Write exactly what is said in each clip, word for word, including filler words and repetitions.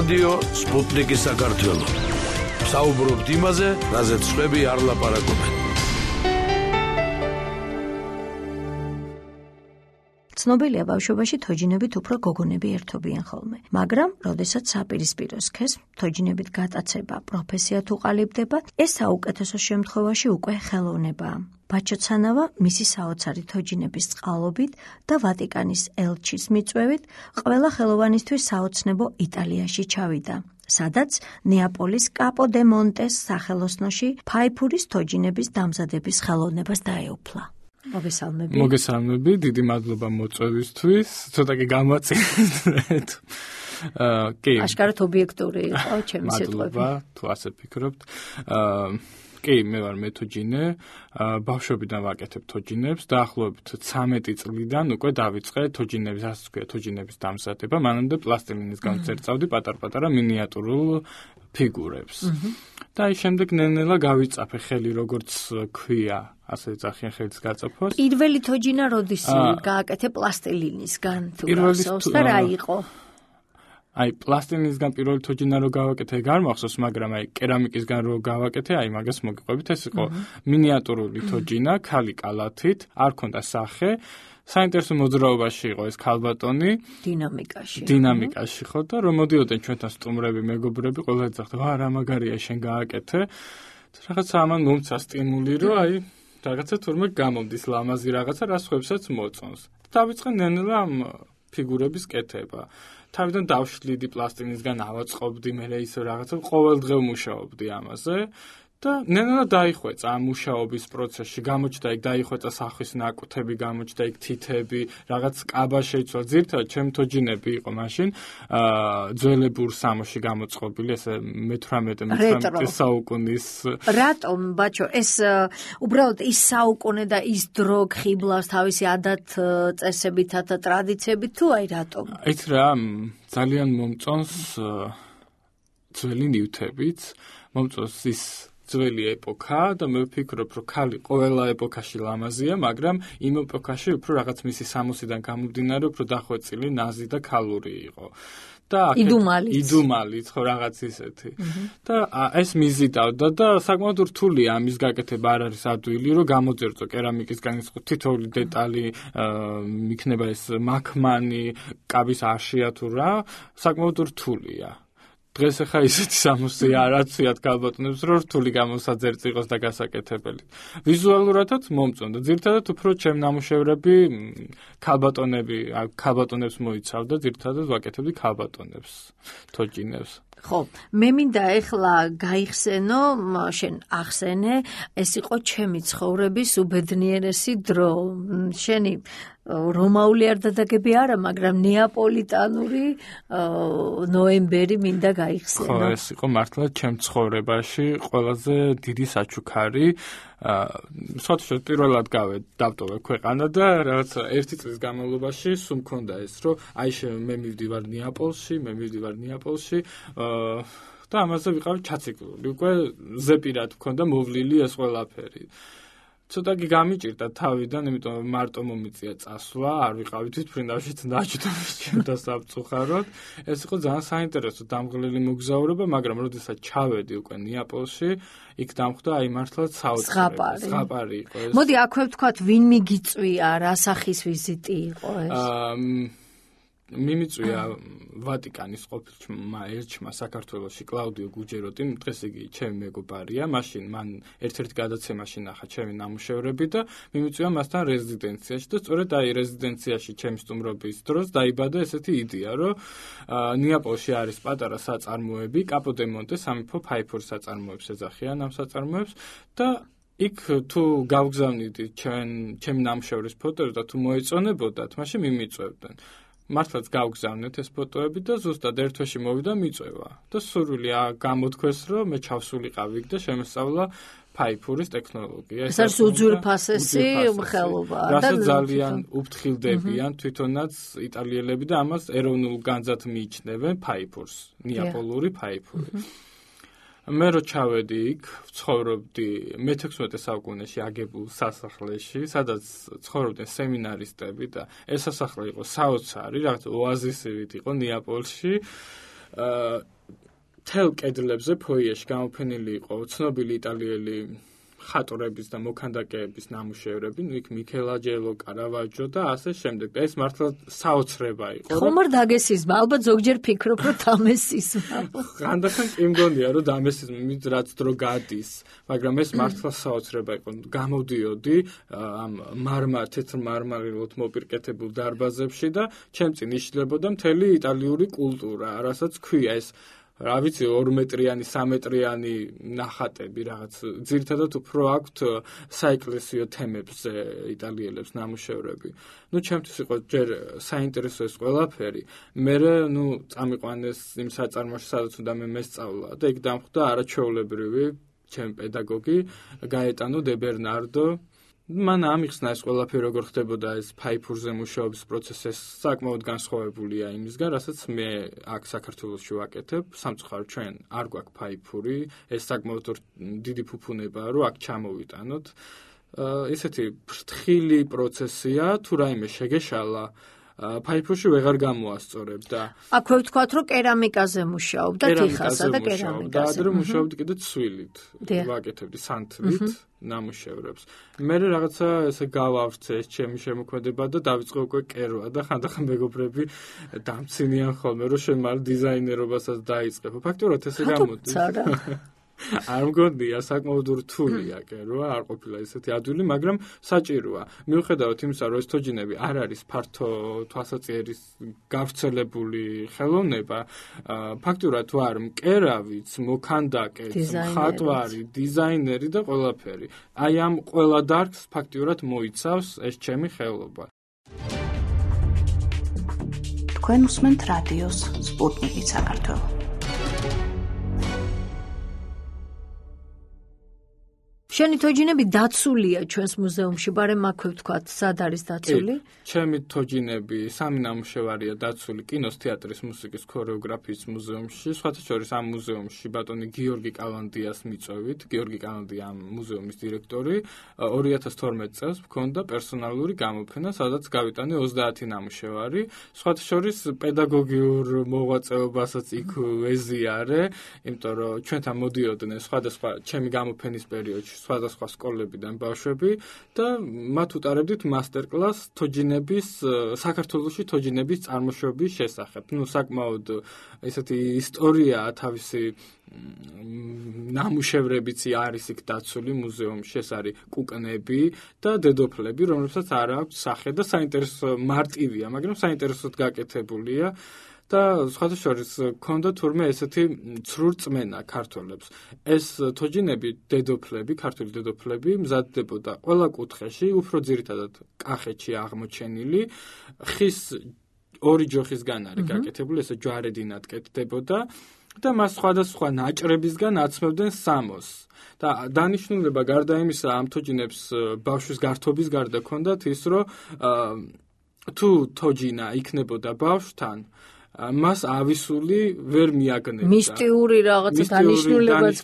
რადიო სპუტნიკი საქართველო. საუბრობთ იმაზე, რაზეც სხვები არ ლაპარაკობენ. ცნობილია ბავშვობაში თოჯინებით უფრო გოგონები ერთობიან ხოლმე, მაგრამ როდესაც საპირისპირო სქეს თოჯინებით გატაცება პროფესია თუ ყალიბდება, ეს საუკეთესო შემთხვევაში უკვე ხელოვნებაა. ბაჩოცანავა მისი საოცარი თოჯინების წყალობით და ვატიკანის ელჩის მიწვევით ყველა ხელოვანისთვის საოცნებო იტალიაში ჩავიდა, სადაც ნეაპოლის კაპო დე მონტეს სახელოსნოში ფაიფურის თოჯინების დამზადების ხელოვნებას დაეუფლა. მოგესალმები. მოგესალმები, დიდი მადლობა მოწვევისთვის. ცოტა კი გამაწინეთ. აა, კი. აშკარად ობიექტური იყო ჩემი სიტყვები. მადლობა, თუ ასე ფიქრობთ. აა, კი, მე ვარ მეთოჯინე. აა, ბავშვობიდან ვაკეთებ თოჯინებს. დაახლოებით ცამეტი წლიდან უკვე დავიწყე თოჯინების, ასე ვქვია, თოჯინების დამზადება. მანამდე პლასტილინისგან წერწავდი პატარ-პატარა მინიატურულ ფიგურებს. და აი შემდეგ ნელ-ნელა გავიწაფე ხელი, როგორც ქვია, ასე ძახიან ხელის გაწაფვას. პირველი თოჯინა როდის გააკეთე პლასტილინისგან თუ გახსოვს და რა იყო? აი პლასტილინისგან პირველი თოჯინა რო გავაკეთე, არ მახსოვს, მაგრამ აი კერამიკისგან რო გავაკეთე, აი მაგას მოგიყვებით, ეს იყო მინიატურული თოჯინა, ქალი კალათით, არ ქონდა სახე. საინტერესო მოძრაობაში იყო ეს ქალბატონი დინამიკაში. დინამიკაში ხო და რომ მოდიოდნენ ჩვენთან სტუმრები, მეგობრები, ყველა ეძახდა, "ვა, რა მაგარია შენ გააკეთე." რაღაცა ამან მომცა სტიმული, რომ აი რაღაცა თურმე გამომდის ლამაზი რაღაცა, რას ხვებსაც მოწონს. დავიწყე ნელ-ნელა ამ ფიგურების კეთება. თავიდან დავშლიდი პლასტილინისგან ავაწყობდი, მე ის რაღაცა ყოველდღე ვმუშაობდი ამაზე. და ნელა დაიხვეწა ამ მუშაობის პროცესში, გამოჩნდა იქ დაიხვეწა სახის ნაკვთები, გამოჩნდა იქ თითები, რაღაც კაბა შეიცვალა. ძირთადად ჩემი თოჯინები იყო მაშინ აა ძველებურ სამოში გამოწყობილი, ესე მეთვრამეტე მეთვრამეტე საუკუნის. რატომ, ბაჩო, ეს უბრალოდ ის საუკუნე და ის დრო ხიბლავს თავისი ადათ წესებითა და ტრადიციებით თუ აი რატომ? იცი რა, ძალიან მომწონს ძველი ნივთებიც, მომწონს ის ძველი ეპოქა და მე ვფიქრობ, რომ ქალი ყველა ეპოქაში ლამაზია, მაგრამ იმ ეპოქაში უფრო რაღაც მისი სამოსიდან გამომდინარე, უფრო დახვეწილი, ნაზი და ქალური იყო. და იდუმალიც. იდუმალიც, ხო, რაღაც ისეთი. და ეს მიზიდავდა და საკმაოდ რთულია ამის გაკეთება, არ არის ადვილი, რომ გამოძერწო კერამიკისგან ის თითოეული დეტალი, იქნება ეს მაქმანი, კაბის აშია თუ რა, საკმაოდ რთულია. დღეს ახლა ისეთი სამოსი არ აცვიათ ქალბატონებს, რომ რთული გამოსაძერწ იყოს და გასაკეთებელი. ვიზუალურადაც მომწონდა. ძირთადად უფრო ჩემ ნამუშევრები ქალბატონები, ქალბატონებს მოიცავდა, ძირთადად ვაკეთებდი ქალბატონებს, თოჯინებს. ხო, მე მინდა ეხლა გაიხსენო, შენ ახსენე, ეს იყო ჩემი ცხოვრების უბედნიერესი დრო. შენი რომაული არ დადაგები არა, მაგრამ ნეაპოლიტანური ნოემბერი მინდა გაიხსენო. ხო, ეს იყო მართლა ჩემ ცხოვრებაში ყველაზე დიდი საჩუქარი. სხვათაშორის პირველად გავედ დავტოვე ქვეყანა და რაღაც ერთი წლის განმავლობაში სულ მქონდა ეს, რომ აი მე მივდივარ ნეაპოლში, მე მივდივარ ნეაპოლში და ამაზე ვიყავი ჩაციკლული. უკვე ზეპირად მქონდა მოვლილი ეს ყველაფერი. ცოტა კი გამიჭირდა თავიდან, იმიტომ რომ მარტო მომიწია წასვლა, არ ვიყავით თვითმფრინავში დაჭდომის ჩემთან სამწუხაროდ. ეს იყო ძალიან საინტერესო დამღლელი მოგზაურობა, მაგრამ როდესაც ჩავედი უკვე ნეაპოლში, იქ დამხვდა აი მართლაც საოცრება. ზღაპარი იყო ეს. მოდი აქვე ვთქვათ, ვინ მიგიწვია, რა სახის ვიზიტი იყო ეს? აა მიმიწვია ვატიკანის ყოფილმა ელჩმა საქართველოში კლაუდიო გუჯეროტიმ, დღეს იგი ჩემი მეგობარია, მაშინ მან ერთ-ერთ გადაცემაში ნახა ჩემი ნამუშევრები და მიმიწვია მასთან რეზიდენციაში და სწორედ აი რეზიდენციაში ჩემი სტუმრობის დროს დაიბადა ესეთი იდეა, რომ ნეაპოლში არის პატარა საწარმოები, კაპო დე მონტე სამეფო ფაიფურის საწარმოებს ეძახიან ამ საწარმოებს და იქ თუ გავგზავნიდი ჩვენ ჩემი ნამუშევრის ფოტოებს და თუ მოეწონებოდათ, მაშინ მიმიწვევდნენ. მართლაც გავგზავნეთ ეს ფოტოები და ზუსტად ერთ თვეში მოვიდა მიწვევა. და სურვილი გამოთქვეს, რომ მე ჩავსულიყავი იქ და შემოსწავლა ფაიფურის ტექნოლოგია. ეს არის უძვირფასესი ხელობა. რასაც ძალიან უფრთხილდებიან თვითონაც იტალიელები და ამას ეროვნულ განძად მიიჩნევენ ფაიფურს, ნეაპოლური ფაიფური. მე რო ჩავედი იქ, ვცხოვრობდი მეთექვსმეტე საუკუნეში აგებულ სასახლეში, სადაც ცხოვრობდნენ სემინარისტები და ეს სასახლე იყო საოცარი, რაღაც ოაზისივით იყო ნეაპოლში. თელ კედლებზე ფოიეში გამოფენილი იყო ცნობილი იტალიელი ხატორების და მოქანდაკეების ნამუშევრები, იქ მიქელანჯელო, კარავაჯო და ასე შემდეგ. და ეს მართლა საოცრება იყო. ხომ არ დაგესიზმა, ალბათ ზოგჯერ ფიქრობ, რომ დამესიზმა. ხანდახან კი მგონია, რომ დამესიზმა, მით რაც დრო გადის, მაგრამ ეს მართლა საოცრება იყო. გამოდიოდი ამ მარმა, თეთრ მარმარილოთ მოპირკეთებულ დარბაზებში და ჩემ წინ იშლებოდა მთელი იტალიური კულტურა, რასაც ქვია ეს რა ვიცი ორ მეტრიანი, სამ მეტრიანი ნახატები რაღაც ძირითადად უფრო აქვთ საეკლესიო თემებზე იტალიელებს ნამუშევრები. ნუ ჩემთვის იყო ჯერ საინტერესო ეს ყველაფერი. მე ნუ წამიყვანეს იმ საწარმოში, სადაც უნდა მე მესწავლა და იქ დამხვდა არაჩვეულებრივი ჩემი პედაგოგი გაეტანო დე ბერნარდო. მან ამიხსნა ეს ყველაფერი როგორ ხდებოდა ეს ფაიფურზე მუშაობის პროცესი საკმაოდ განსხვავებულია იმისგან, რასაც მე აქ საქართველოში ვაკეთებ. სამწუხაროდ ჩვენ არ გვაქვს ფაიფური, ეს საკმაოდ დიდი ფუფუნებაა, რომ აქ ჩამოვიტანოთ. ესეთი ფრთხილი პროცესია, თუ რაიმე შეგეშალა ფაიფურში ვეღარ გამოასწორებ და აქვე ვთქვათ, რომ კერამიკაზე მუშაობდა, თიხასა და კერამიკაზე. და ადრე მუშაობდი კიდე ცვილით, ვაკეთებდი სანთლით ნამუშევრებს. მე რაღაცა ესე გავავრცე ეს ჩემი შემოქმედება და დავიწყე უკვე კერვა და ხანდახან მეგობრები დამცინიან ხოლმე, რომ შენ მალე დიზაინერობასაც დაიწყებ. ფაქტობრივად ესე გამოდის. არ მგონია, საკმაოდ რთულია კერვა, არ ყოფილა ესეთი ადვილი, მაგრამ საჭიროა. მიუხედავად იმისა, რომ ეს თოჯინები არ არის ფართო თვალსაჩინერის გავრცელებული ხელოვნება, ფაქტობრივად ვარ მკერავიც, მოქანდაკეც, მხატვარი, დიზაინერი და ყველაფერი. აი ამ ყველა დარგს ფაქტობრივად მოიცავს ეს ჩემი ხელობა. თქვენ უსმენთ რადიოს სპუტნიკი საქართველო. შენი თოჯინები დაცულია ჩვენს მუზეუმში, ბარემ აქვე ვთქვათ, სად არის დაცული? ჩემი თოჯინები სამი ნამუშევარია დაცული კინოს, თეატრის, მუსიკის, ქორეოგრაფიის მუზეუმში. სხვათა შორის ამ მუზეუმში ბატონი გიორგი კალანდიას მიწვევით. გიორგი კალანდია ამ მუზეუმის დირექტორი. ორი ათას თორმეტ წელს მქონდა პერსონალური გამოფენა, სადაც გავიტანე ოცდაათი ნამუშევარი. სხვათა შორის პედაგოგიურ მოღვაწეობასაც იქ ვეზიარე, იმიტომ რომ ჩვენთან მოდიოდნენ სხვადასხვა ჩემი გამოფენის პერიოდში სხვადასხვა სკოლებიდან ბავშვები და მათ უტარებდით მასტერკლასს თოჯინების საქართველოში თოჯინების წარმოშობის შესახებ. ნუ საკმაოდ ესეთი ისტორიაა თავისი ნამუშევრებიც არის იქ დაცული მუზეუმში, ეს არის კუკნები და დედოფლები, რომლებსაც არ აქვს სახე და საინტერესო მარტივია, მაგრამ საინტერესოდ გაკეთებულია. და სხვათა შორის ქონდა თურმე ესეთი ცრუ რწმენა ქართველებს. ეს თოჯინები დედოფლები, ქართული დედოფლები მზადდებოდა ყველა კუთხეში, უფრო ძირითადად კახეთში აღმოჩენილი, ხის ორი ჯოხისგან არის გაკეთებული, ესე ჯვარედინად კეთდებოდა და მას სხვადასხვა ნაჭრებისგან აცმევდნენ სამოს. და დანიშნულება გარდა იმისა, ამ თოჯინებს ბავშვის გართობის გარდა ქონდათ ის, რომ თუ თოჯინა იქნებოდა ბავშვთან, მას ავისული ვერ მიაგნებდა. მისტიური რაღაცა დანიშნულებაც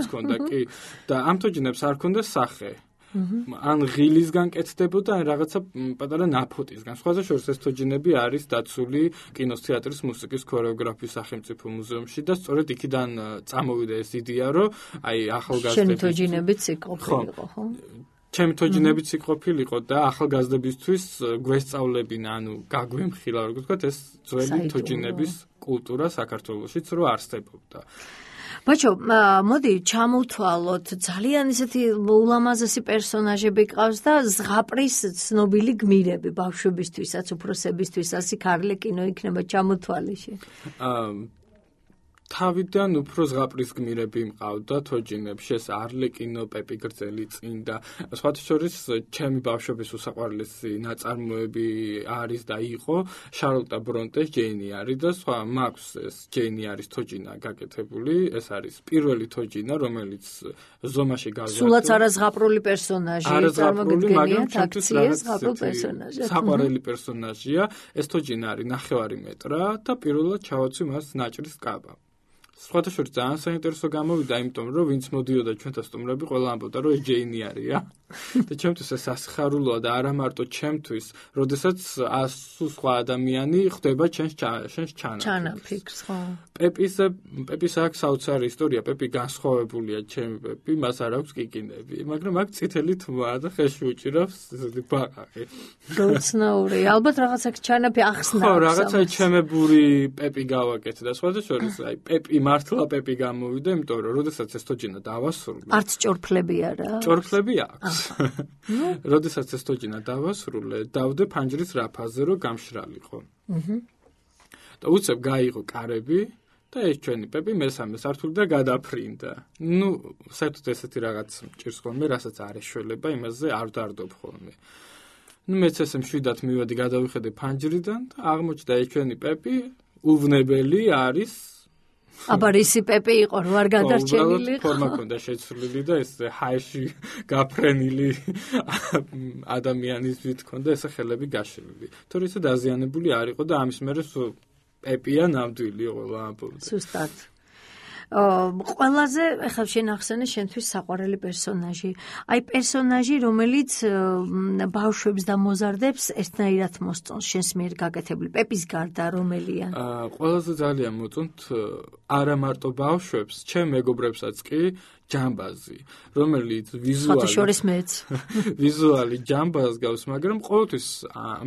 ქონდა, კი. და ამ თოჯინებს არ ქონდა სახე. ან ღილისგან კეთდებოდა, ან რაღაცა პატარა ნაფოტისგან. სხვათა შორის ეს თოჯინები არის დაცული კინოს, თეატრის, მუსიკის, ქორეოგრაფიის სახელმწიფო მუზეუმში და სწორედ იქიდან წამოვიდა ეს იდეა, რომ აი ახალგაზრდების შენი თოჯინებიც იყოფილიყო, ხო? ჩემი თოჯინებიც იყოფილიყო და ახალგაზრდებისთვის გვესწავლებინა, ანუ გაგვემხილა, როგორ ვთქვათ, ეს ძველი თოჯინების კულტურა საქართველოშიც რო არსებობდა. ბაჭო, მოდი ჩამოვთვალოთ, ძალიან ისეთი ულამაზესი პერსონაჟები ყავს და ზღაპრის ცნობილი გმირები ბავშვებისთვისაც, უფროსებისთვისაც, იქ არლეკინო იქნება ჩამოთვალეში. თავიდან უფრო ზღაპრის გმირები მყავდა თოჯინებში, ეს არლეკინო, პეპი გრძელი წინ და სხვათა შორის ჩემი ბავშვობის უსაყვარლესი ნაწარმოები არის და იყო შარლოტა ბრონტეს ჯეინი არის და სხვა მაქვს ეს ჯეინი არის თოჯინა გაკეთებული, ეს არის პირველი თოჯინა, რომელიც ზომაში გავზარდა. სულაც არა ზღაპრული პერსონაჟი, წარმოგიდგენიათ აქციის ზღაპრულ პერსონაჟი. საყვარელი პერსონაჟია, ეს თოჯინა არის ნახევარი მეტრა და პირველად ჩავაცვი მას ნაჭრის კაბა. სხვათა შორის ძალიან საინტერესო გამოვიდა, იმიტომ რომ ვინც მოდიოდა ჩვენთან სტუმრები, ყველა ამბობდა, რომ ეს ჯეინი არია. და ჩემთვის ეს სასიხარულოა და არა მარტო ჩემთვის, როდესაც ასუ სხვა ადამიანი ხდება ჩემს შენს ჩანაფიქრს, ხო. პეპის პეპის აქვს საოცარი ისტორია, პეპი განსხვავებულია ჩემი პეპი, მას არ აქვს კიკინები, მაგრამ აქ წითელი თმაა და ხელში უჭირავს ბაყაყი. გაუცნაური, ალბათ რაღაცა ჩანაფი ახსნა. ხო, რაღაცა ჩემებური პეპი გავაკეთე და სხვათა შორის აი პეპი მართლა პეპი გამოვიდა, იმიტომ რომ როდესაც ეს თოჯინა დავასრულე. არც ჭორფლები არა. ჭორფლები აქვს. როდესაც ეს თოჯინა დავასრულე, დავდე ფანჯრის რაფაზე, რომ გამშრალიყო. აჰა. და უცებ გაიღო კარები და ეს ჩვენი პეპი მესამე სართულიდან გადაფრინდა. ნუ, საერთოდ ესეთი რაღაც მჭირს ხოლმე, რასაც არ ეშველება, იმაზე არ დავდარდობ ხოლმე. ნუ მეც ესე მშვიდად მივედი, გადავიხედე ფანჯრიდან და აღმოჩნდა ეს ჩვენი პეპი უვნებელი არის. აბა რისი პეპი იყო, რო არ გადარჩენილი იყო. ფორმა ქონდა შეცვლილი და ეს ჰაეში გაფრენილი ადამიანის ვით ქონდა ესე ხელები გაშლილი. თორე ისე დაზიანებული არ იყო და ამის მერე პეპია ნამდვილი ყოლა ამბობდა. სუსტად. ყველაზე ახლა შენ ახსენე შენთვის საყვარელი პერსონაჟი. აი პერსონაჟი, რომელიც ბავშვებს და მოზარდებს ერთნაირად მოსწონს შენს მიერ გაკეთებული. პეპის გარდა რომელია? აა ყველაზე ძალიან მოწონთ არა მარტო ბავშვებს, ჩემ მეგობრებსაც კი ჯამბაზი, რომელიც ვიზუალი შორის მეც. ვიზუალი ჯამბაზს გავს, მაგრამ ყოველთვის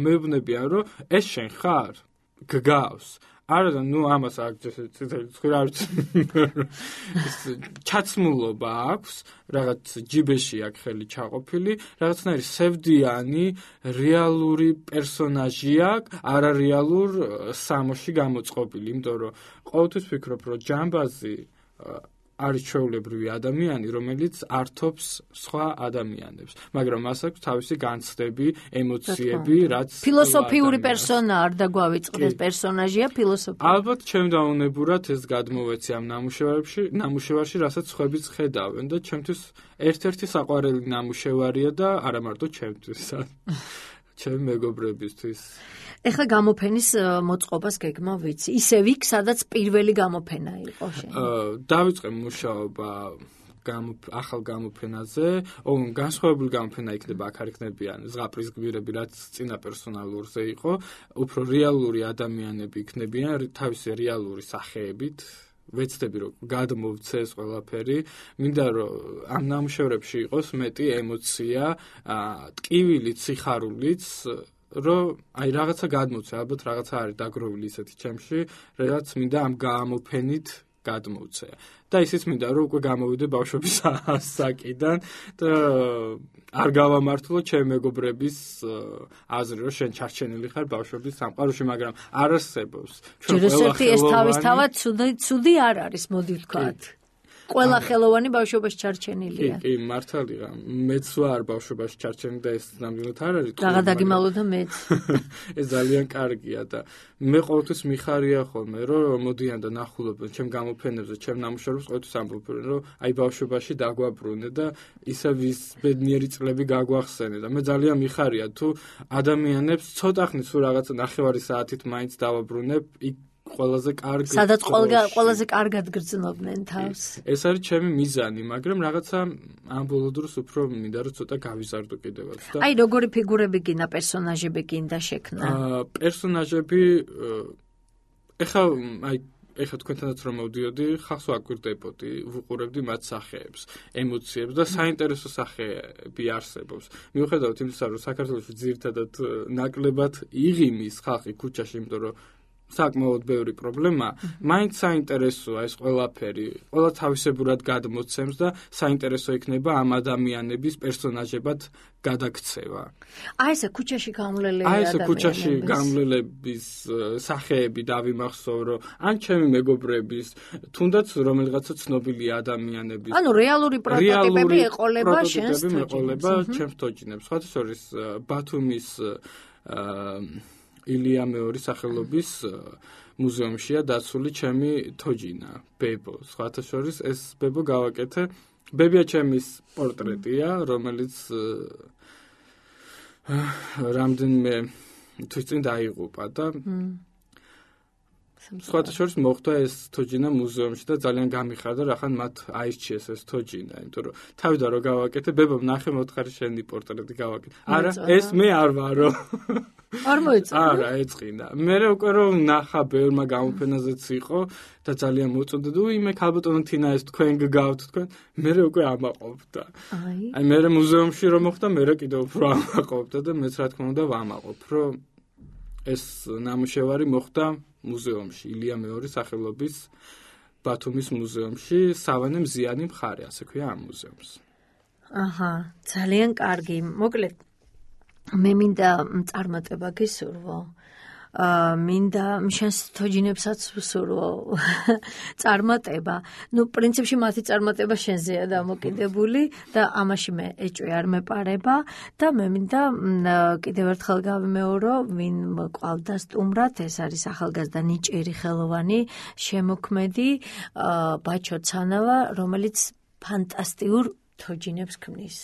მეუბნებიან, რომ ეს შენ ხარ? გგავს. არა და ნუ ამას აქ ციტელი ცხრა არ ჩაცმულობა აქვს, რაღაც ჯიბეში აქ ხელი ჩაყოფილი, რაღაცნაირი სევდიანი, რეალური პერსონაჟი აქვს, არარეალურ სამოში გამოწყობილი, იმიტომ რომ ყოველთვის ვფიქრობ, რომ ჯამბაზი არის ჩვეულებრივი ადამიანი, რომელიც ართობს სხვა ადამიანებს, მაგრამ მას აქვს თავისი განცდები, ემოციები, რაც ფილოსოფიური პერსონა არ დაგვავიწყდეს პერსონაჟია ფილოსოფიური. ალბათ ჩემდაუნებურად ეს გადმოვეცი ამ ნამუშევარებში, ნამუშევარში, რასაც ხვებიც ხედავენ და ჩემთვის ერთ-ერთი საყვარელი ნამუშევარია და არა მარტო ჩემთვის, ჩემი მეგობრებისთვის. ეხლა გამოფენის მოწყობას გეგმა ვიცი. ისევ იქ, სადაც პირველი გამოფენა იყო შენ. დავიწყე მუშაობა ახალ გამოფენაზე. განსხვავებული გამოფენა იქნება, აქ არ იქნებიან ზღაპრის გვირები, რაც წინა პერსონალურზე იყო, უფრო რეალური ადამიანები იქნებიან თავისი რეალური სახეებით. ვეცდები რომ გადმოვცე ეს ყველაფერი, მინდა რომ ამ ნამუშევრებში იყოს მეტი ემოცია, ტკივილიც, სიხარულიც, რომ აი რაღაცა გადმოვცე, ალბათ რაღაცა არის დაგროვილი ისეთი ჩემში, რაც მინდა ამ გამოფენით გადმოვცე. და ისიც მინდა რომ უკვე გამოვიდე ბავშვების ასაკიდან და არ გავამართლო ჩემი მეგობრების აზრი, რომ შენ ჩარჩენილი ხარ ბავშვების სამყაროში, მაგრამ არ არსებობს. ჩვენ ყველაფერი ეს თავისთავად ცუდი არ არის, მოდი ვთქვათ. ყველა ხელოვანი ბავშვობაში ჩარჩენილია. კი, კი, მართალია. მეც ვარ ბავშვობაში ჩარჩენილი და ეს ნამდვილად არ არის. რაღა დაგიმალო და მეც. ეს ძალიან კარგია და მე ყოველთვის მიხარია ხოლმე, რომ მოდიან და ნახულობენ ჩემ გამოფენებზე, ჩემ ნამუშევრებს, ყოველთვის ამბობენ, რომ აი ბავშვობაში დაგვაბრუნე და ისე ვის ბედნიერი წლები გაგვახსენე და მე ძალიან მიხარია თუ ადამიანებს ცოტა ხნის თუ რაღაცა ნახევარი საათით მაინც დავაბრუნებ იქ ყველაზე კარგი სადაც ყველაზე კარგად გრძნობდნენ თავს. ეს არის ჩემი მიზანი, მაგრამ რაღაცა ამ ბოლო დროს უფრო მინდა რომ ცოტა გავიზარდო კიდევაც და აი როგორი ფიგურები გინდა, პერსონაჟები გინდა შექმნა? აა პერსონაჟები ეხა აი ეხა თქვენთანაც რომ მოვდიოდი, ხალხს ვაკვირდებოდი, ვუყურებდი მათ სახეებს, ემოციებს და საინტერესო სახეები არსებობს. მიუხედავად იმისა, რომ საქართველოში ძირითადად ნაკლებად იღიმის ხალხი ქუჩაში, იმიტომ რომ საკმაოდ ბევრი პრობლემა, მაინც საინტერესოა ეს ყველაფერი, ყველა თავისებურად გადმოცემს და საინტერესო იქნება ამ ადამიანების პერსონაჟებად გადაქცევა. აი ესე ქუჩაში გამლელები ადამიანები. აი ესე ქუჩაში გამლელების სახეები დავიმახსოვ, რომ ან ჩემი მეგობრების, თუნდაც რომელიღაცა ცნობილი ადამიანების. ანუ რეალური პროტოტიპები ეყოლება შენს თოჯინებს. ეყოლება ჩემს თოჯინებს. სხვათა შორის ბათუმის აა ილია მეორის სახელობის მუზეუმშია დაცული ჩემი თოჯინა, ბებო. სხვათა შორის ეს ბებო გავაკეთე. ბებია ჩემის პორტრეტია, რომელიც რამდენიმე თვის წინ დაიღუპა და სხვათა შორის მოხდა ეს თოჯინა მუზეუმში და ძალიან გამიხარდა, რახან მათ აირჩიეს ეს თოჯინა, იმიტომ რომ თავიდან რო გავაკეთე, ბებამ ნახე მოთხარი შენი პორტრეტი გავაკეთე. არა, ეს მე არ ვარო. არ მოეწონა? არა, ეწყინა. მე უკვე რომ ნახა ბევრმა გამოფენაზეც იყო და ძალიან მოწონდა და უიმე ქალბატონო თინა ეს თქვენ გგავთ თქვენ. მე უკვე ამაყობდა. აი. აი მე მუზეუმში რომ მოხდა, მე კიდევ უფრო ამაყობდა და მეც რა თქმა უნდა ვამაყობ, რომ ეს ნამუშევარი მოხდა მუზეუმში, ილია მეორის სახელობის ბათუმის მუზეუმში, სავანე მზიანი მხარე, ასე ქვია ამ მუზეუმს. აჰა, ძალიან კარგი. მოკლედ მე მინდა წარმატება გისურვო. აა მინდა შენს თოჯინებსაც ვსურვო წარმატება. ნუ პრინციპში მათი წარმატება შენზეა დამოკიდებული და ამაში მე ეჭვი არ მეპარება და მე მინდა კიდევ ერთხელ გავიმეორო, ვინ ყავდა სტუმრად, ეს არის ახალგაზრდა ნიჭიერი ხელოვანი, შემოქმედი ბაჩო ცანავა, რომელიც ფანტასტიურ თოჯინებს ქმნის.